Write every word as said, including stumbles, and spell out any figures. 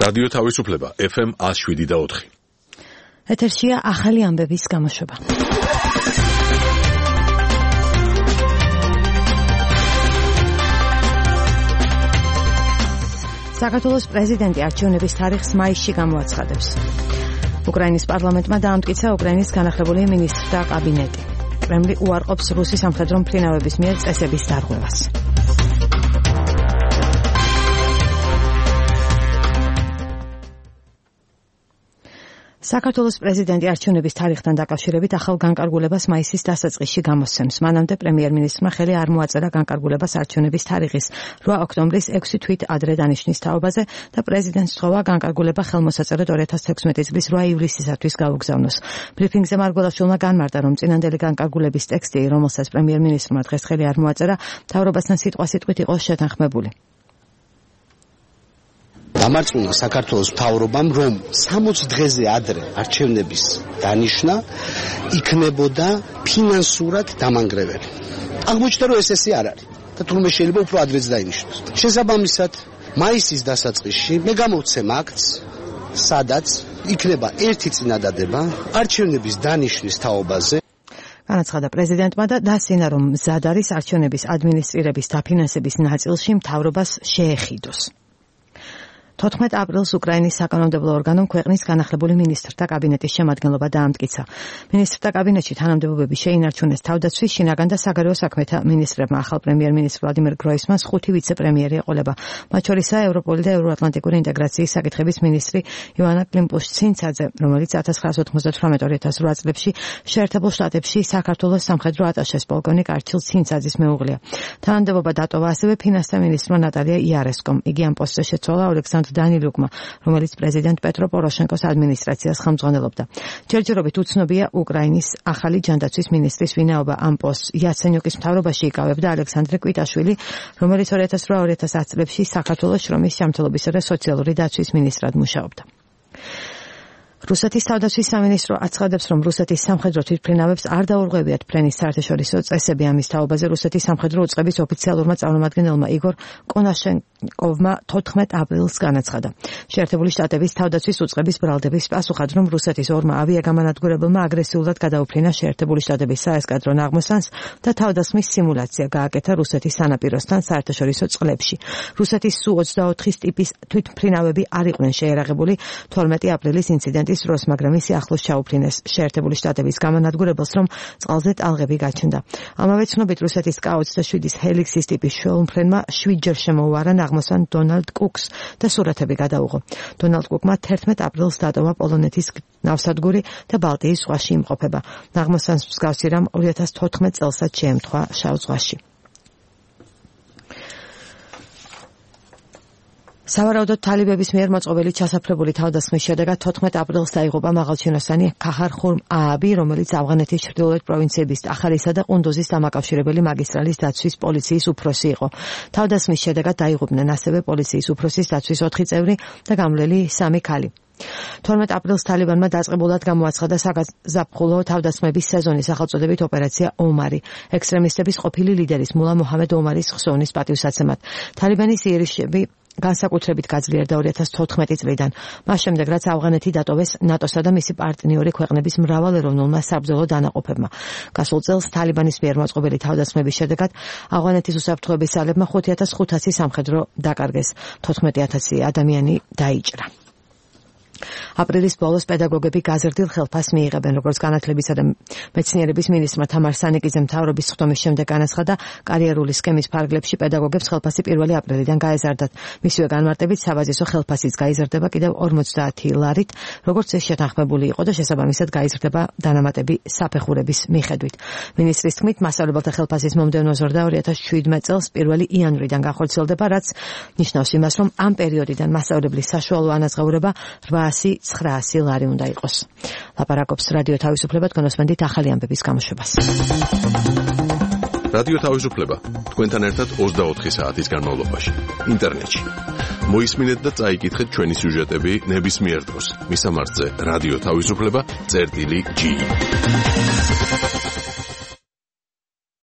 რადიო თავისუფლება ეფ ემ ნული შვიდი და ოთხი. ეთერშია ახალი ამბების გამოშვება. საქართველოს პრეზიდენტი არჩევნების თარიღს მაისში გამოაცხადებს. უკრაინის პარლამენტმა დაამტკიცა უკრაინის განახლებული მინისტრთა კაბინეტი. კრემლი უარყოფს რუსი სამხედრო მფრინავების მიერ წესების დარღვევას. საქართველოს პრეზიდენტი არჩევნების თარიღთან დაკავშირებით ახალ განკარგულებას მაისის დასაწყისში გამოსცემს. მანამდე პრემიერ-მინისტრმა ხელი არ მოაწერა განკარგულებას არჩევნების თარიღის რვა ოქტომბრის ექვსი თვით ადრე დანიშნის თაობაზე და პრეზიდენტს სთხოვა განკარგულება ხელმოსაწერად ორი ათას თექვსმეტი წლის რვა ივლისისათვის გაუგზავნოს. ბრიფინგზე მარგველაშვილმა განმარტა, რომ წინანდელი განკარგულების ტექსტი, რომელსაც პრემიერ-მინისტრმა დღეს ხელი არ მოაწერა, მთავრობასთან სიტყვასიტყვით იყო შეთანხმებული. დამარწმუნა საქართველოს მთავრობამ, რომ სამოცი დღეზე ადრე არჩევნების დანიშნა იქნებოდა ფინანსურად დამანგრეველი. აღმოჩნდა, რომ ეს ესე არ არის და თურმე შეიძლება უფრო ადრეც დაინიშნოს. შესაბამისად, მაისის დასაწყისში მე გამოვცემ აქტს, სადაც იქნება ერთი წინადადება არჩევნების დანიშნის თაობაზე. განაცხადა პრეზიდენტმა და დასცინა, რომ მზად არის არჩევნების ადმინისტრირების დაფინანსების ნაწილში მთავრობას შეეხიდოს. თოთხმეტ აპრილს უკრაინის საკანონმდებლო ორგანომ ქვეყნის განახლებული მინისტრთა კაბინეტის შემადგენლობა დაამტკიცა. მინისტრთა კაბინეტში თანამდებობები შეინარჩუნეს თავდაცვის, შინაგან და საგარეო საქმეთა მინისტრებმა. ახალ პრემიერ-მინისტრ ვლადიმერ გროისმანს ხუთი ვიცე-პრემიერი ეყოლება. მათ შორისაა ევროპული და ევროატლანტიკური ინტეგრაციის საკითხების მინისტრი ივანა კლიმპუშ-ცინცაძე, რომელიც ათას ცხრაასა ოთხმოცდათვრამეტ ორი ათას რვა წლებში შეერთებულ შტატებში საქართველოს სამხედრო ატაშეს პოლკოვნიკ არჩილ ცინცაძის მეუღლეა. თანამდებობა დატოვა ასევე ფინანსთა მინისტრმა ნატალია იარესკომ. იგი ამ პოსტზე შეცვალა ალექსანდრ დანილუკმა, რომელიც პრეზიდენტ პეტრო პოროშენკოს ადმინისტრაციას ხელმძღვანელობდა. ჯერჯერობით უცნობია უკრაინის ახალი ჯანდაცვის მინისტრის ვინაობა. ამ პოსტს იაცენიუკის მთავრობაში იკავებდა ალექსანდრე კვიტაშვილი, რომელიც ორი ათას რვა ორი ათას ათი წლებში საქართველოს შრომის ჯანმრთელობისა და სოციალური დაცვის მინისტრად მუშაობდა. რუსეთის თავდაცვის სამინისტრო აცხადებს, რომ რუსეთის სამხედრო თვითმფრინავებს არ დაურღვევიათ ფრენის საერთაშორისო წესები. ამის თაობაზე რუსეთის სამხედრო უწყების ოფიციალურმა წარმომადგენელმა იგორ კონაშენკოვმა თოთხმეტ აპრილს განაცხადა. შეერთებული შტატების თავდაცვის უწყების ბრალდების პასუხად, რომ რუსეთის ორმა ავიაგამანადგურებელმა აგრესიულად გადაუფრინა შეერთებული შტატების საესკადრო ნაღმოსანს და თავდასხმის სიმულაცია გააკეთა რუსეთის სანაპიროსთან საერთაშორისო წყლებში. რუსეთის სუ ოცდაოთხის ტიპის თვითმფრინავები არ იყვნენ შეერაღებული თორმეტი აპრილის ინციდენტის დროს, მაგრამ ისე ახლოს ჩაუფრინეს შეერთებული შტატების გამანადგურებელს, რომ წყალზე ტალღები გაჩნდა. ამავე ცნობით რუსეთის კა ოცდაშვიდის ჰელიქსის ტიპის შვეულმფრენმა შვიდჯერ შემოუარა ნაღმოსან დონალდ კუკს და სურათები გადაუღო. დონალდ კუკმა თერთმეტ აპრილს დატოვა პოლონეთის ნავსადგური და ბალტიის ზღვაში იმყოფება. ნაღმოსანს მსგავსი რამ ორი ათას თოთხმეტ წელსაც შეემთხვა შავ ზღვაში. სავარაუდოდ თალიბების მიერ მოწყობილი ჩასაფრებული თავდასხმის შედეგად თოთხმეტ აპრილს დაიღუპა მაღალჩინოსანი ქაჰარ ხურმ ააბი, რომელიც ავღანეთის ჩრდილოეთ პროვინციების ახალისა და ყუნდუზის დამაკავშირებელი მაგისტრალის დაცვის პოლიციის უფროსი იყო. თავდასხმის შედეგად დაიღუპნენ ასევე პოლიციის უფროსის დაცვის ოთხი წევრი და გამლელი სამი ქალი. თორმეტ აპრილს თალიბანმა დაწყებულად გამოაცხადა საზაფხულო თავდასხმების სეზონის სახელწოდებით ოპერაცია ომარი, ექსტრემისტების ყოფილი ლიდერის მულა მოჰამედ ომარის ხსოვნის პატივსაცემად. თალიბანის იერიშები განსაკუთრებით გაძლიერდა ორი ათას თოთხმეტი წლიდან. მას შემდეგ, რაც ავღანეთი დატოვეს ნატოსა და მისი პარტნიორი ქვეყნების მრავალეროვნულმა საბრძოლო დანაყოფებმა. გასულ წელს თალიბანის მიერ მოწყობილი თავდასხმების შედეგად ავღანეთის უსაფრთხოების ძალებმა ხუთი ათას ხუთასი სამხედრო დაკარგეს. თოთხმეტი ათასი ადამიანი დაიჭრა. აპრილის ბოლოს პედაგოგები გაზრდილ ხელფასს მიიღებენ, როგორც განათლებისა და მეცნიერების მინისტრმა თამარ სანიკიძემ მთავრობის ხდომის შემდეგ განაცხადა, კარიერული სქემის ფარგლებში პედაგოგებს ხელფასი პირველი აპრილიდან გაეზარდათ. მისივე განმარტებით საბაზისო ხელფასიც გაიზარდება კიდევ ორმოცდაათი ლარით, როგორც ეს შეთანხმებული იყო და შესაბამისად გაიზრდება დანამატები საფეხურების მიხედვით. მინისტრის თქმით, მასწავლებელთა ხელფასის მომდევნო ზრდა ორი ათას შვიდმეტ წელს პირველი იანვრიდან განხორციელდება, რაც ნიშნავს იმას, რომ ამ პერიოდიდან მასწავლებლის საშუალო ანაზღაურება რვაასი ცხრაასი ლარი უნდა იყოს. ლაპარაკობს რადიო თავისუფლება, თქვენოსმენდით ახალი ამბების გამოშვებას. რადიო თავისუფლება თქვენთან ერთად ოცდაოთხი საათის განმავლობაში ინტერნეტში. მოისმინეთ და წაიკითხეთ ჩვენი სიუჟეტები ნებისმიერ დროს. მისამართზე რადიო თავისუფლება წერტილი ჯი.